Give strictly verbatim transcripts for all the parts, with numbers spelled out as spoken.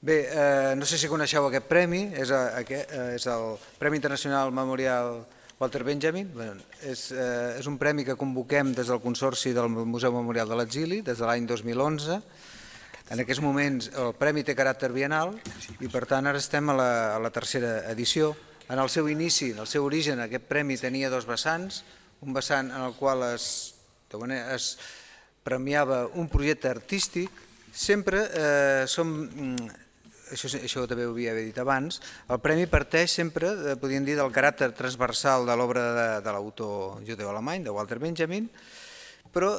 Bé, no sé si coneixeu aquest premi, és el Premi Internacional Memorial Walter Benjamin. És un premi que convoquem des del Consorci del Museu Memorial de l'Exili des de l'any dos mil onze. En aquests moments el premi té caràcter biennal i per tant ara estem a la tercera edició. En el seu inici, en el seu origen, aquest premi tenia dos vessants, un vessant en el qual es premiava un projecte artístic. Sempre som, això també ho havia dit abans, el premi parteix sempre, podríem dir, del caràcter transversal de l'obra de l'autor judeu-alemany, de Walter Benjamin, però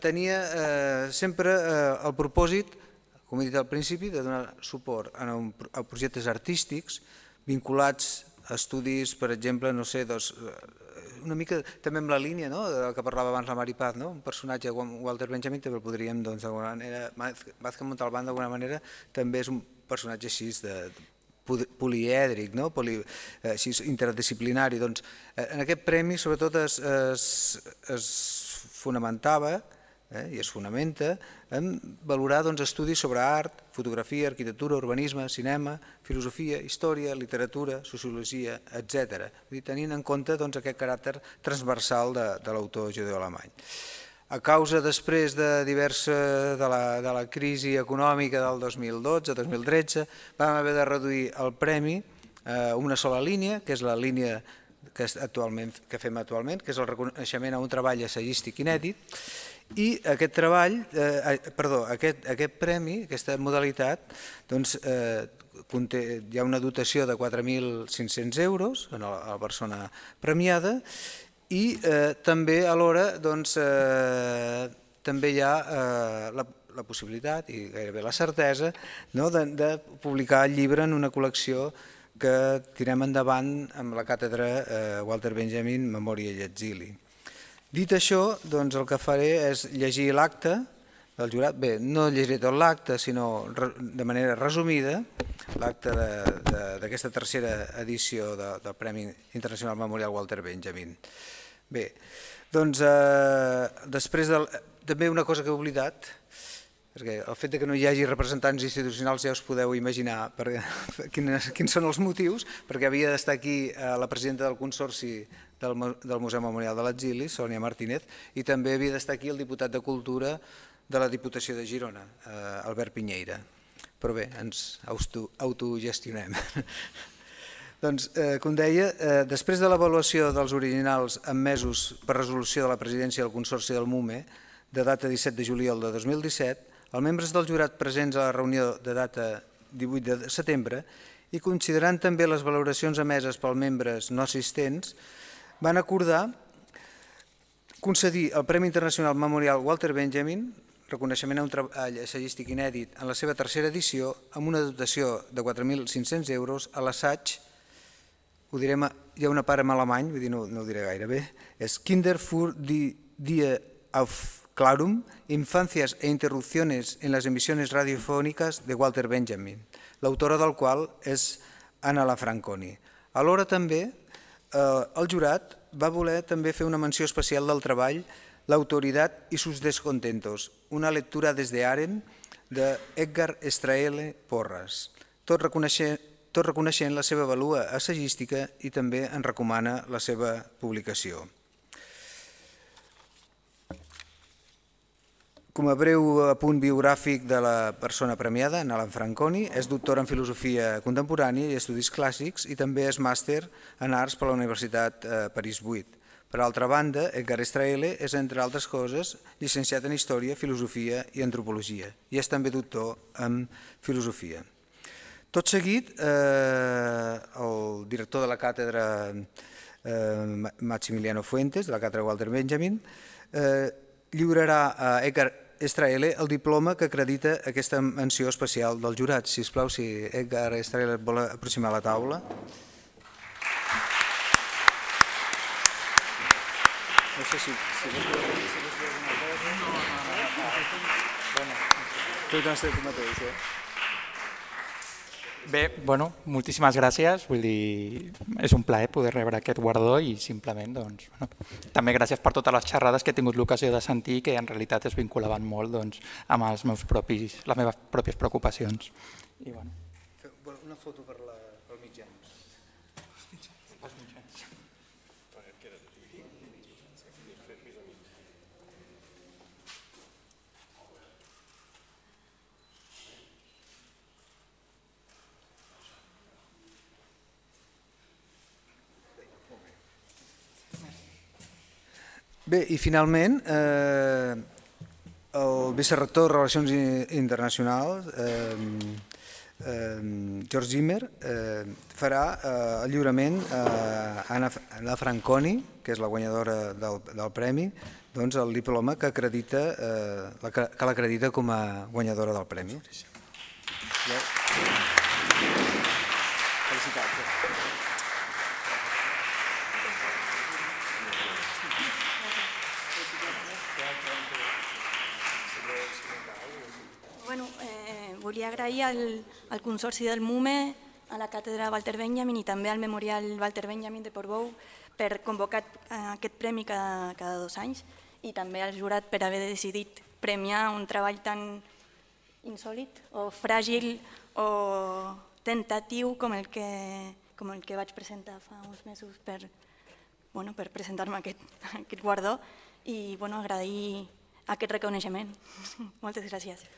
tenia sempre el propòsit, com he dit al principi, de donar suport a projectes artístics vinculats a estudis, per exemple, no sé, una mica també amb la línia del que parlava abans la Mari Paz, un personatge, Walter Benjamin, també el podríem, d'alguna manera, Vázquez Montalbán d'alguna manera també és un personatge així polièdric, així interdisciplinari. En aquest premi sobretot es fonamentava i es fonamenta en valorar estudis sobre art, fotografia, arquitectura, urbanisme, cinema, filosofia, història, literatura, sociologia, etcètera. Tenint en compte aquest caràcter transversal de l'autor judeu-alemany. A causa després de diversa de la crisi econòmica del dos mil dotze dos mil tretze vam haver de reduir el premi a una sola línia, que és la línia que fem actualment, que és el reconeixement a un treball assagístic inèdit. I aquest treball, perdó, aquest premi, aquesta modalitat, hi ha una dotació de quatre mil cinc-cents euros a la persona premiada i també alhora també hi ha la possibilitat i gairebé la certesa de publicar el llibre en una col·lecció que tirem endavant amb la càtedra Walter Benjamin, Memòria i Exili. Dit això, el que faré és llegir l'acte del jurat. Bé, no llegiré tot l'acte, sinó de manera resumida, l'acte d'aquesta tercera edició del Premi Internacional Memorial Walter Benjamin. Bé, doncs després també una cosa que he oblidat, perquè el fet que no hi hagi representants institucionals ja us podeu imaginar quins són els motius, perquè havia d'estar aquí la presidenta del Consorci del Museu Memorial de l'Exili, Sònia Martínez, i també havia d'estar aquí el diputat de Cultura de la Diputació de Girona, Albert Piñeira. Però bé, ens autogestionem. Doncs, com deia, després de l'avaluació dels originals emmesos per resolució de la presidència del Consorci del MUME, de data disset de juliol de dos mil disset, els membres del jurat presents a la reunió de data divuit de setembre i considerant també les valoracions emeses pels membres no assistents, van acordar concedir el Premi Internacional Memorial Walter Benjamin, reconeixement a un treball assagístic inèdit en la seva tercera edició, amb una dotació de quatre mil cinc-cents euros a l'assaig, ho direm, hi ha una part en alemany, vull dir, no ho diré gaire bé, és Kinder für die Aufklärung, Infancias e interrupciones en las emisiones radiofónicas de Walter Benjamin, l'autora del qual és Anna Lafranconi. Alhora també el jurat va voler també fer una menció especial del treball L'autoritat i sus descontentos, una lectura des de Aren de Edgar Straele Porras, tot reconeixent la seva valua assagística i també en recomana la seva publicació. Com a breu apunt biogràfic de la persona premiada, Anna Lafranconi, és doctora en Filosofia Contemporània i Estudis Clàssics i també és màster en Arts per la Universitat París vuit. Per altra banda, Edgar Straele és, entre altres coses, llicenciat en Història, Filosofia i Antropologia i és també doctor en Filosofia. Tot seguit, el director de la càtedra Maximiliano Fuentes, de la càtedra Walter Benjamin, lliurarà a Edgar Straele el diploma que acredita aquesta menció especial del jurat. Si us plau, si Edgar Straele vol aproximar la taula. No sé si vols dir alguna cosa. No, no, no. Tu t'has de tu mateix, eh? Bé, bueno, moltíssimes gràcies, vull dir, és un plaer poder rebre aquest guardó i simplement, doncs, bueno, també gràcies per totes les xerrades que he tingut l'ocasió de sentir que en realitat es vinculaven molt, doncs, amb els meus propis, les meves pròpies preocupacions. I, bueno, Una foto per pel mitjà. Bé, i finalment, eh, el vicerector de Relacions Internacionals, eh, eh, George Zimmer, eh, farà eh, el lliurament a Anna, Anna Franconi, que és la guanyadora del, del premi, doncs el diploma que acredita, eh, la, que l'acredita com a guanyadora del premi. Felicitats. Bueno, eh, volia agrair al, al Consorci del MUME, a la Càtedra Walter Benjamin i també al Memorial Walter Benjamin de Portbou per convocar aquest premi cada, cada dos anys i també al jurat per haver decidit premiar un treball tan insòlit o fràgil o tentatiu com el que, com el que vaig presentar fa uns mesos per, bueno, per presentar-me aquest, aquest guardó i bueno, agrair aquest reconeixement. Moltes gràcies.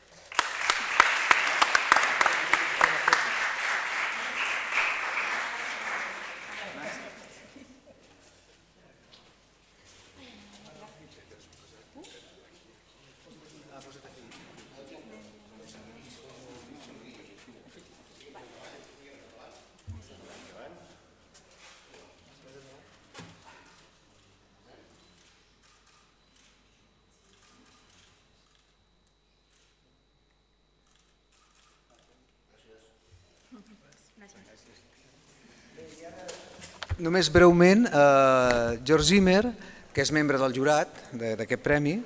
Només breument, eh, George Zimmer, que és membre del jurat d'aquest premi,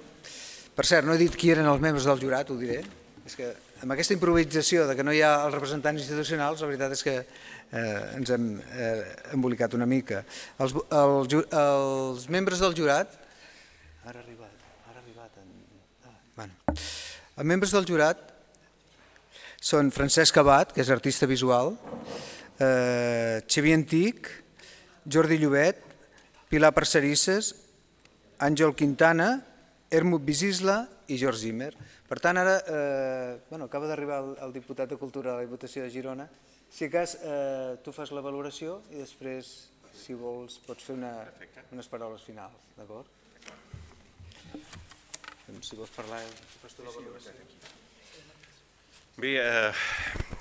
per cert, no he dit qui eren els membres del jurat, ho diré, és que amb aquesta improvisació de que no hi ha els representants institucionals, la veritat és que eh, ens hem eh, embolicat una mica. Els, els, els membres del jurat... Ara ha arribat, ara ha arribat... En... Ah, bueno. Els membres del jurat són Francesc Abad, que és artista visual, eh, Xavier Antic, Jordi Llobet, Pilar Parcerisses, Àngel Quintana, Hermut Bisisla i George Zimmer. Per tant, ara eh, bueno, acaba d'arribar el, el diputat de Cultura a la Diputació de Girona. Si cas, eh, tu fas la valoració i després, si vols, pots fer una, unes paraules finals, d'acord? Si vols parlar, fas tu la valoració. Bé, eh...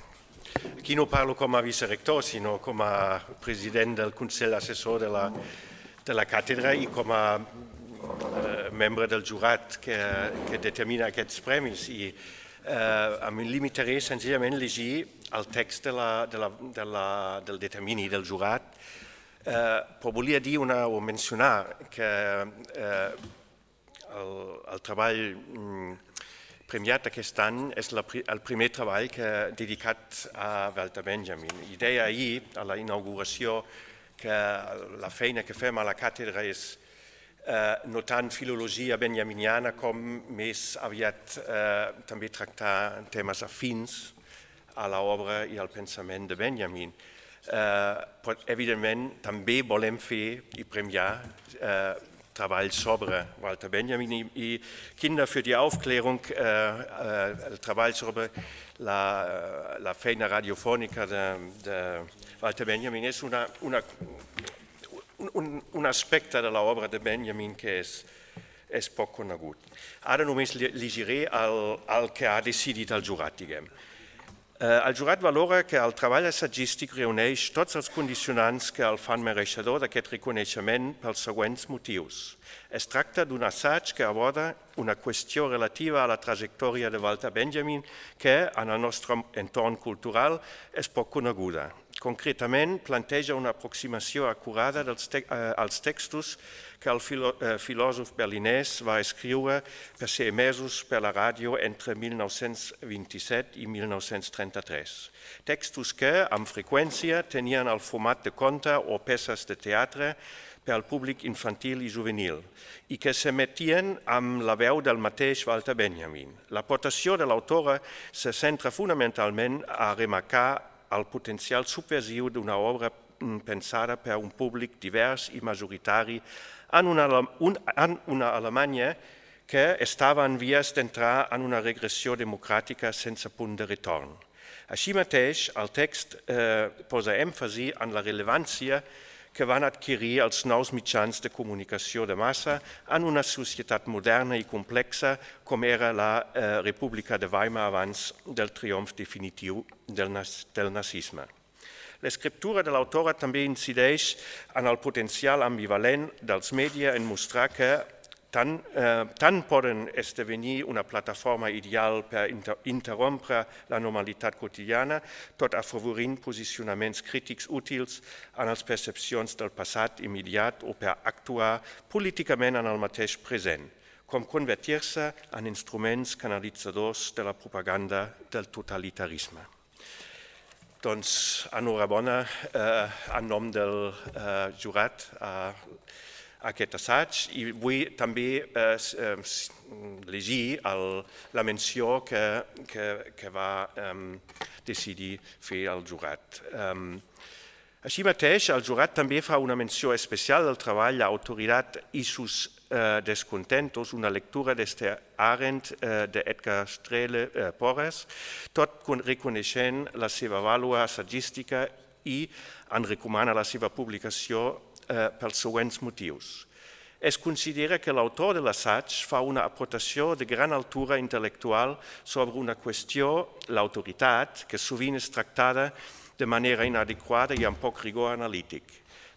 Aquí no parlo com a vicerector, sinó com a president del Consell Assessor de la, de la càtedra i com a eh, membre del jurat que, que determina aquests premis. I eh, em limitaré senzillament a llegir el text de la, de la, de la, del determini del jurat, eh, però volia dir una, o mencionar que eh, el, el treball mm, premiat aquest any és la, el primer treball que, dedicat a Walter Benjamin. I deia ahir, a la inauguració, que la feina que fem a la càtedra és eh, no tant filologia benjaminiana com més aviat eh, també tractar temes afins a l'obra i al pensament de Benjamin. Eh, però, evidentment, també volem fer i premiar eh, Travail sobre Walter Benjamin i Kinder für die Aufklärung, äh, äh, el treball sobre la, la feina radiofònica de, de Walter Benjamin és una, una, un, un aspecte de l'obra de Benjamin que és, és poc conegut. Ara només llegiré el, el que ha decidit el jurat, diguem. El jurat valora que el treball assagístic reuneix tots els condicionants que el fan mereixedor d'aquest reconeixement pels següents motius. Es tracta d'un assaig que aborda una qüestió relativa a la trajectòria de Walter Benjamin que, en el nostre entorn cultural, és poc coneguda. Concretament, planteja una aproximació acurada dels te eh, als textos que el filo eh, filòsof berlinès va escriure per ser emesos per la ràdio entre mil nou-cents vint-i-set i mil nou-cents trenta-tres. Textos que, amb freqüència, tenien el format de conte o peces de teatre per al públic infantil i juvenil i que s'emetien amb la veu del mateix Walter Benjamin. L'aportació de l'autora se centra fonamentalment a remarcar al potencial subversiu d'una obra pensada per un públic divers i majoritari en una, un, en una Alemanya que estava en vies d'entrar en una regressió democràtica sense punt de retorn. Així mateix, el text eh, posa èmfasi en la rellevància que van adquirir els nous mitjans de comunicació de massa en una societat moderna i complexa com era la eh, República de Weimar abans del triomf definitiu del, del nazisme. L'escriptura de l'autora també incideix en el potencial ambivalent dels mèdies en mostrar que tant, eh, tant poden esdevenir una plataforma ideal per inter interrompre la normalitat quotidiana, tot afavorint posicionaments crítics útils en les percepcions del passat immediat o per actuar políticament en el mateix present, com convertir-se en instruments canalitzadors de la propaganda del totalitarisme. Doncs, enhorabona eh, en nom del eh, jurat a aquest assaig i vull també eh, llegir el, la menció que, que, que va eh, decidir fer el jurat. Eh, així mateix, el jurat també fa una menció especial del treball l'autoritat i sus eh, descontentos, una lectura d'Esther Arendt, eh, d'Edgar Strele eh, Porres, tot reconeixent la seva vàlua assagística i en recomana la seva publicació eh, pels següents motius. Es considera que l'autor de l'assaig fa una aportació de gran altura intel·lectual sobre una qüestió, l'autoritat, que sovint és tractada de manera inadequada i amb poc rigor analític.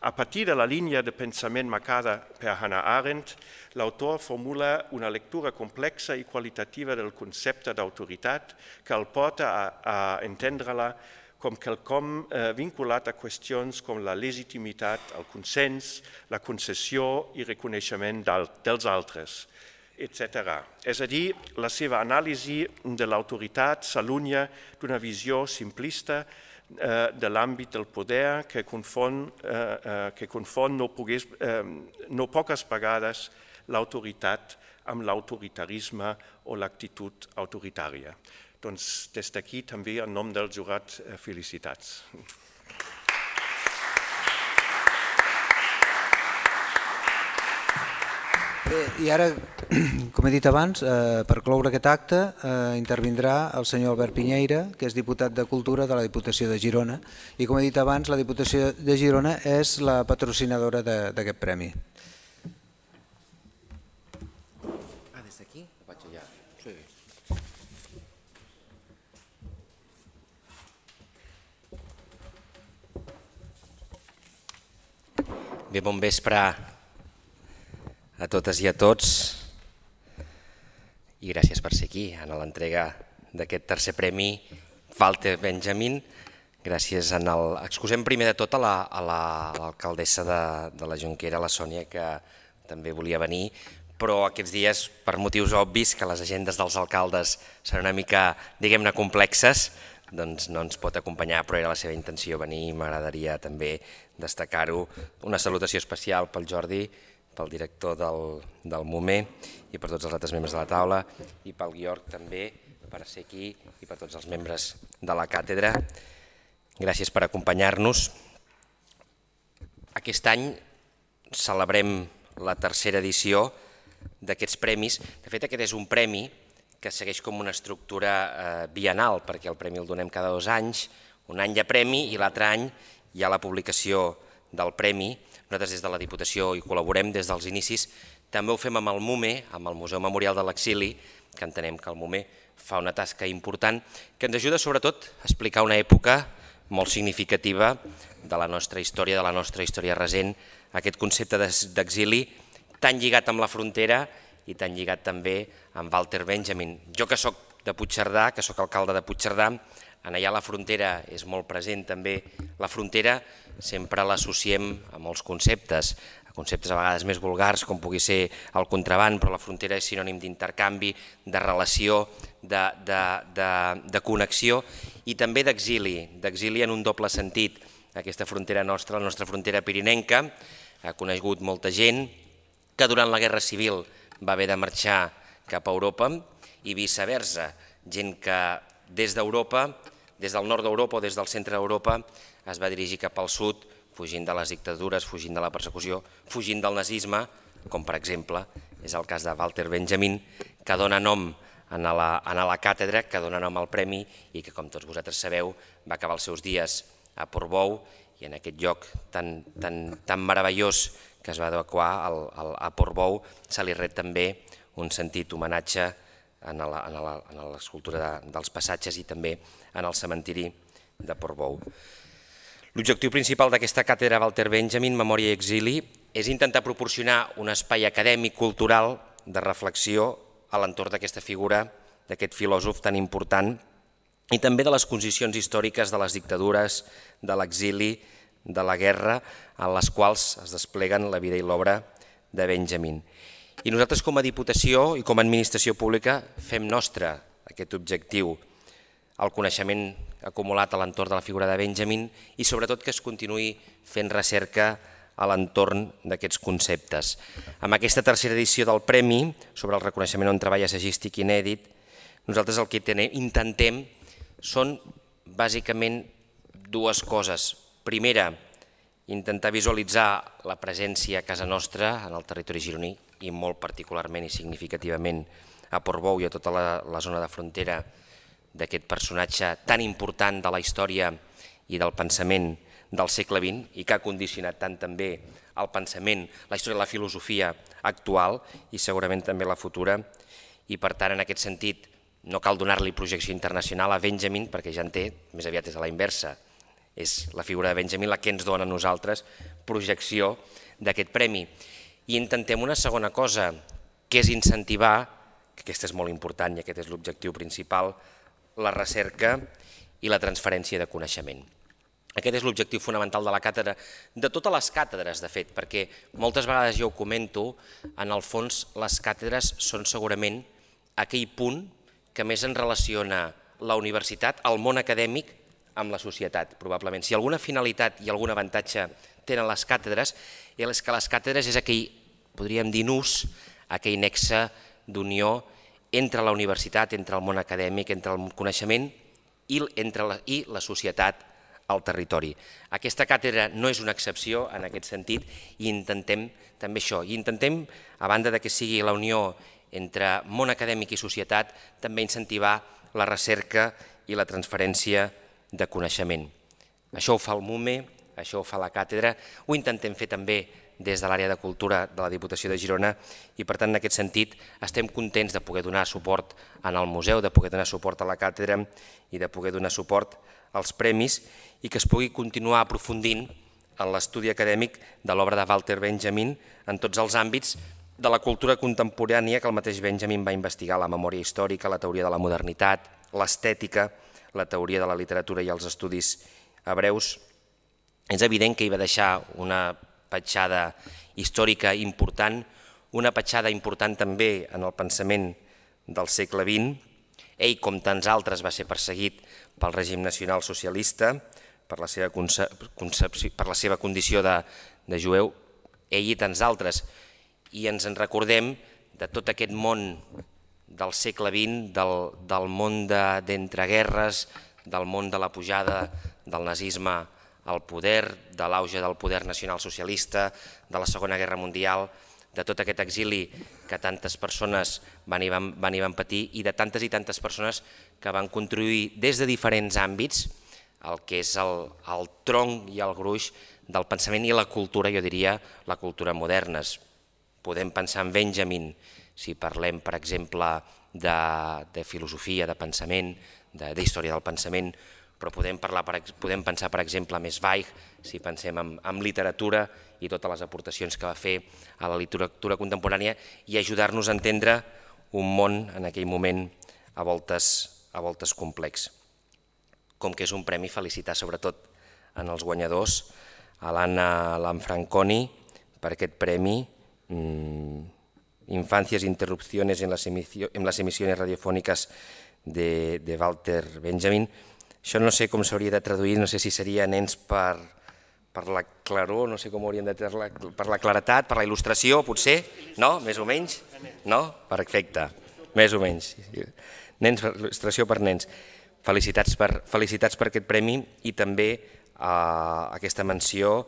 A partir de la línia de pensament marcada per Hannah Arendt, l'autor formula una lectura complexa i qualitativa del concepte d'autoritat que el porta a, a entendre-la com quelcom eh, vinculat a qüestions com la legitimitat, el consens, la concessió i reconeixement dels altres, etcètera. És a dir, la seva anàlisi de l'autoritat s'allunya d'una visió simplista eh, de l'àmbit del poder que confon, eh, eh, que confon no, pogués, eh, no poques vegades l'autoritat amb l'autoritarisme o l'actitud autoritària. Doncs des d'aquí també en nom del jurat felicitats. Bé, i ara, com he dit abans, eh, per cloure aquest acte eh, intervindrà el senyor Albert Piñeira, que és diputat de Cultura de la Diputació de Girona, i com he dit abans, la Diputació de Girona és la patrocinadora d'aquest premi. Ah, des d'aquí? Ho vaig allà. Sí. Bé, bon vespre a totes i a tots i gràcies per ser aquí en l'entrega d'aquest tercer premi Walter Benjamin. Gràcies en el... Excusem primer de tot a l'alcaldessa de, de la Jonquera, la Sònia, que també volia venir, però aquests dies, per motius obvis, que les agendes dels alcaldes són una mica, diguem-ne, complexes, doncs no ens pot acompanyar, però era la seva intenció venir i m'agradaria també destacar-ho. Una salutació especial pel Jordi, pel director del, del MUME i per tots els altres membres de la taula i pel Guiorg també per ser aquí i per tots els membres de la càtedra. Gràcies per acompanyar-nos. Aquest any celebrem la tercera edició d'aquests premis. De fet, aquest és un premi que segueix com una estructura eh, bienal, perquè el premi el donem cada dos anys, un any hi ha premi i l'altre any hi ha la publicació del premi. Nosaltres des de la Diputació hi col·laborem des dels inicis. També ho fem amb el MUME, amb el Museu Memorial de l'Exili, que entenem que el MUME fa una tasca important, que ens ajuda sobretot a explicar una època molt significativa de la nostra història, de la nostra història recent, aquest concepte d'exili tan lligat amb la frontera i tan lligat també amb Walter Benjamin. Jo que soc de Puigcerdà, que soc alcalde de Puigcerdà, en allà la frontera és molt present també. La frontera sempre l'associem a molts conceptes, a conceptes a vegades més vulgars com pugui ser el contraban, però la frontera és sinònim d'intercanvi, de relació, de, de, de, de connexió i també d'exili, d'exili en un doble sentit. Aquesta frontera nostra, la nostra frontera pirinenca, ha conegut molta gent que durant la Guerra Civil va haver de marxar cap a Europa i viceversa, gent que des d'Europa, des del nord d'Europa o des del centre d'Europa es va dirigir cap al sud, fugint de les dictadures, fugint de la persecució, fugint del nazisme, com per exemple és el cas de Walter Benjamin, que dona nom a la, a la càtedra, que dona nom al premi i que, com tots vosaltres sabeu, va acabar els seus dies a Portbou i en aquest lloc tan, tan, tan meravellós que es va adequar al, al, a Portbou se li ret també un sentit homenatge en l'escultura de, dels passatges i també en el cementiri de Portbou. L'objectiu principal d'aquesta càtedra Walter Benjamin, Memòria i Exili, és intentar proporcionar un espai acadèmic, cultural, de reflexió a l'entorn d'aquesta figura, d'aquest filòsof tan important, i també de les condicions històriques de les dictadures, de l'exili, de la guerra, en les quals es despleguen la vida i l'obra de Benjamin. I nosaltres com a Diputació i com a Administració Pública fem nostre aquest objectiu, el coneixement acumulat a l'entorn de la figura de Benjamin i sobretot que es continuï fent recerca a l'entorn d'aquests conceptes. Amb aquesta tercera edició del Premi sobre el reconeixement on treball assagístic inèdit, nosaltres el que intentem són bàsicament dues coses. Primera, intentar visualitzar la presència a casa nostra en el territori gironí i molt particularment i significativament a Portbou i a tota la, la zona de frontera d'aquest personatge tan important de la història i del pensament del segle vint i que ha condicionat tant també el pensament, la història de la filosofia actual i segurament també la futura. I per tant, en aquest sentit, no cal donar-li projecció internacional a Benjamin perquè ja en té, més aviat és a la inversa. És la figura de Benjamin la que ens dona a nosaltres projecció d'aquest premi. I intentem una segona cosa, que és incentivar, que aquesta és molt important i aquest és l'objectiu principal, la recerca i la transferència de coneixement. Aquest és l'objectiu fonamental de la càtedra, de totes les càtedres, de fet, perquè moltes vegades jo ho comento, en el fons les càtedres són segurament aquell punt que més en relaciona la universitat, el món acadèmic, amb la societat, probablement. Si alguna finalitat i algun avantatge tenen les càtedres, és que les càtedres és aquell, podríem dir nus, aquell nexe d'unió entre la universitat, entre el món acadèmic, entre el coneixement i, entre la, i la societat al territori. Aquesta càtedra no és una excepció en aquest sentit i intentem també això, i intentem, a banda de que sigui la unió entre món acadèmic i societat, també incentivar la recerca i la transferència de coneixement. Això ho fa el MUME, això ho fa la càtedra, ho intentem fer també des de l'àrea de cultura de la Diputació de Girona i per tant en aquest sentit estem contents de poder donar suport en el museu, de poder donar suport a la càtedra i de poder donar suport als premis i que es pugui continuar aprofundint en l'estudi acadèmic de l'obra de Walter Benjamin en tots els àmbits de la cultura contemporània que el mateix Benjamin va investigar, la memòria històrica, la teoria de la modernitat, l'estètica, la teoria de la literatura i els estudis hebreus. És evident que hi va deixar una petjada històrica important, una petjada important també en el pensament del segle vint. Ell, com tants altres, va ser perseguit pel règim nacional socialista, per la seva, concepció, per la seva condició de, de jueu, ell i tants altres. I ens en recordem de tot aquest món del segle vint, del, del món d'entreguerres, del món de la pujada del nazisme al poder, de l'auge del poder nacional socialista, de la Segona Guerra Mundial, de tot aquest exili que tantes persones van i van, van, i van patir i de tantes i tantes persones que van contribuir des de diferents àmbits el que és el, el tronc i el gruix del pensament i la cultura, jo diria, la cultura modernes. Podem pensar en Benjamin, si parlem, per exemple, de, de filosofia, de pensament, d'història del pensament, però podem, parlar, podem pensar, per exemple, en Zweig, si pensem en, en literatura i totes les aportacions que va fer a la literatura contemporània i ajudar-nos a entendre un món en aquell moment a voltes, a voltes complex. Com que és un premi, felicitar sobretot en els guanyadors, a l'Anna Lanfranconi per aquest premi, mmm, Infancias e interrupciones en las, en las emisiones radiofòniques de, de Walter Benjamin. Això no sé com s'hauria de traduir, no sé si seria nens per, per la claror, no sé com hauríem de dir-la, per la claretat, per la il·lustració, potser, no? Més o menys? No? Perfecte, més o menys. Nens, il·lustració per nens. felicitats per, felicitats per aquest premi i també uh, aquesta menció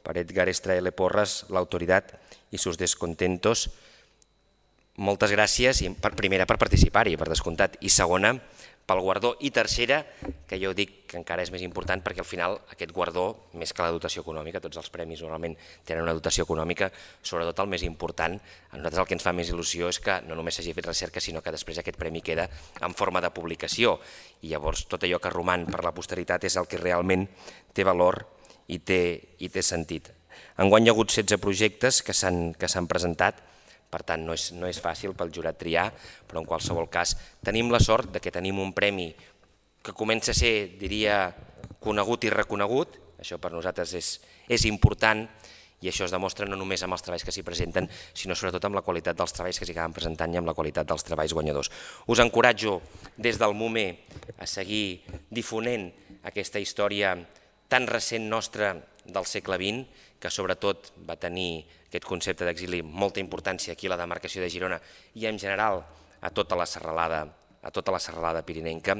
per Edgar Estraele Porras, l'autoritat i sus descontentos. Moltes gràcies, i per primera per participar-hi, per descomptat, i segona pel guardó, i tercera, que jo dic que encara és més important perquè al final aquest guardó, més que la dotació econòmica, tots els premis normalment tenen una dotació econòmica, sobretot el més important, a nosaltres el que ens fa més il·lusió és que no només s'hagi fet recerca, sinó que després aquest premi queda en forma de publicació, i llavors tot allò que roman per la posteritat és el que realment té valor i té, i té sentit. Enguany hi ha hagut setze projectes que s'han que s'han presentat, per tant no és, no és fàcil pel jurat triar, però en qualsevol cas tenim la sort de que tenim un premi que comença a ser, diria, conegut i reconegut, això per nosaltres és, és important, i això es demostra no només amb els treballs que s'hi presenten, sinó sobretot amb la qualitat dels treballs que s'hi acaben presentant i amb la qualitat dels treballs guanyadors. Us encoratjo des del MUME a seguir difonent aquesta història tan recent nostra del segle vint, que sobretot va tenir aquest concepte d'exili molta importància aquí a la demarcació de Girona i en general a tota la serralada, a tota la serralada pirinenca,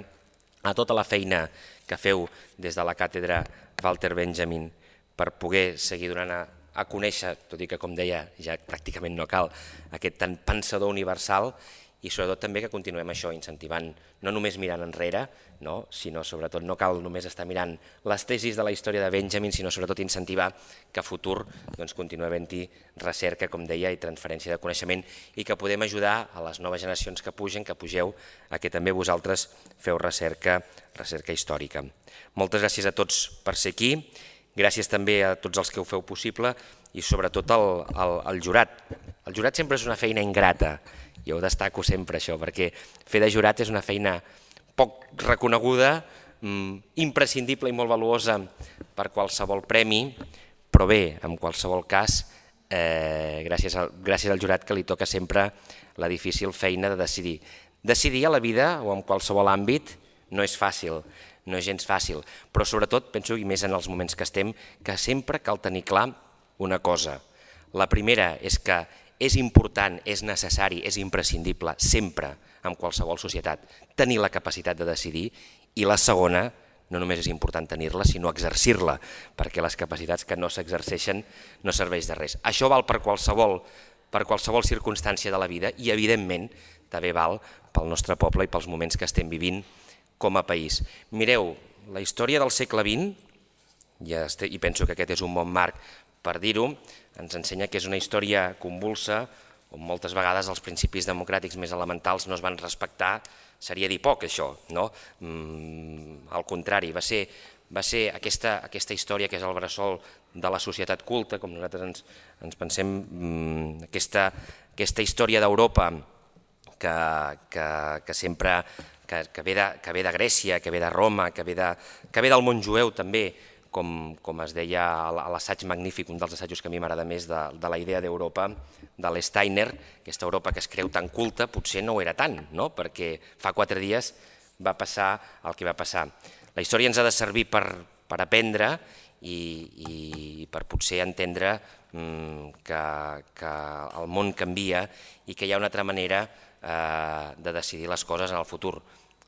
a tota la feina que feu des de la càtedra Walter Benjamin per poder seguir donant a, a conèixer, tot i que com deia ja pràcticament no cal, aquest tan pensador universal, i sobretot també que continuem això, incentivant, no només mirant enrere, no? Sinó sobretot no cal només estar mirant les tesis de la història de Benjamin, sinó sobretot incentivar que a futur doncs, continuï havent-hi recerca, com deia, i transferència de coneixement, i que podem ajudar a les noves generacions que pugen, que pugeu, a que també vosaltres feu recerca, recerca històrica. Moltes gràcies a tots per ser aquí, gràcies també a tots els que ho feu possible i sobretot al, al, al jurat. El jurat sempre és una feina ingrata, jo ho destaco sempre això, perquè fer de jurat és una feina poc reconeguda, imprescindible i molt valuosa per qualsevol premi, però bé, en qualsevol cas, eh, gràcies, al, gràcies al jurat que li toca sempre la difícil feina de decidir. Decidir a la vida o en qualsevol àmbit no és fàcil, no és gens fàcil, però sobretot, penso, i més en els moments que estem, que sempre cal tenir clar una cosa. La primera és que és important, és necessari, és imprescindible, sempre, en qualsevol societat, tenir la capacitat de decidir, i la segona, no només és important tenir-la, sinó exercir-la, perquè les capacitats que no s'exerceixen no serveix de res. Això val per qualsevol, per qualsevol circumstància de la vida i, evidentment, també val pel nostre poble i pels moments que estem vivint com a país. Mireu, la història del segle vint, i penso que aquest és un bon marc per dir-ho, ens ensenya que és una història convulsa, on moltes vegades els principis democràtics més elementals no es van respectar, seria dir poc això, no? Mm, al contrari, va ser, va ser aquesta, aquesta història que és el bressol de la societat culta, com nosaltres ens, ens pensem, mm, aquesta, aquesta història d'Europa que, que, que sempre que, que, ve de, que ve de Grècia, que ve de Roma, que ve, de, que ve del món jueu també, com, com es deia a l'assaig magnífic, un dels assajos que a mi m'agrada més de, de la idea d'Europa, de l'Steiner, aquesta Europa que es creu tan culta, potser no ho era tant, no? Perquè fa quatre dies va passar el que va passar. La història ens ha de servir per, per aprendre i, i per potser entendre mm, que, que el món canvia i que hi ha una altra manera eh, de decidir les coses en el futur.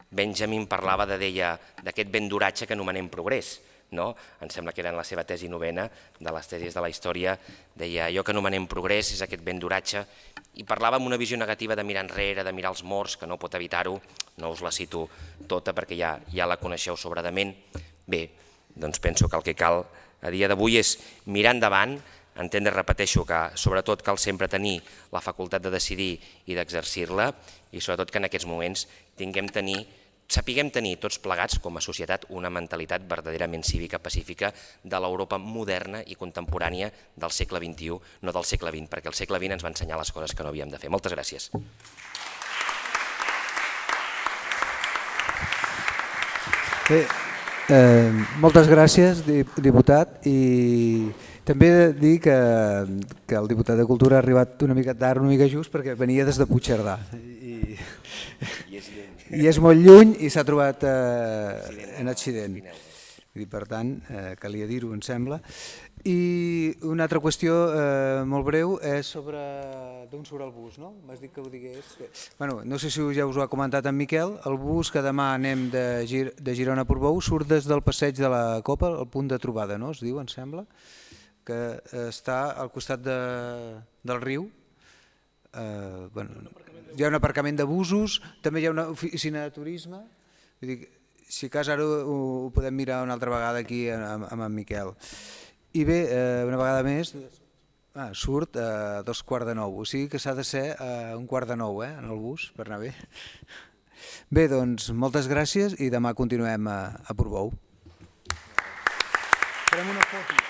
Benjamin parlava de deia d'aquest vent d'oratge que anomenem progrés. No? Em sembla que era en la seva tesi novena de les tesis de la història, deia allò que anomenem progrés és aquest vent d'oratge, i parlava amb una visió negativa de mirar enrere, de mirar els morts, que no pot evitar-ho, no us la cito tota perquè ja, ja la coneixeu sobradament. Bé, doncs penso que el que cal a dia d'avui és mirar endavant, entendre, repeteixo, que sobretot cal sempre tenir la facultat de decidir i d'exercir-la, i sobretot que en aquests moments tinguem tenir sapiguem tenir tots plegats com a societat una mentalitat verdaderament cívica pacífica de l'Europa moderna i contemporània del segle vint-i-u, no del segle vint, perquè el segle vint ens va ensenyar les coses que no havíem de fer. Moltes gràcies. Bé, eh, moltes gràcies, diputat, i també he de dir que, que el diputat de Cultura ha arribat una mica tard, una mica just, perquè venia des de Puigcerdà. I, I és lluny. I és molt lluny i s'ha trobat eh, en accident. Per tant, calia dir-ho, em sembla. I una altra qüestió molt breu és sobre d'on surt el bus, no? M'has dit que ho digués. Bueno, no sé si ja us ho ha comentat en Miquel, el bus que demà anem de Girona a Portbou surt des del passeig de la Copa, el punt de trobada, no? Es diu, em sembla, que està al costat del riu. Hi ha un aparcament de busos, també hi ha una oficina de turisme. Si cas ara ho podem mirar una altra vegada aquí amb en Miquel. I bé, una vegada més, surt a dos quarts de nou, o sigui que s'ha de ser a un quart de nou en el bus per anar bé. Bé, doncs moltes gràcies i demà continuem a Portbou. Farem una foto.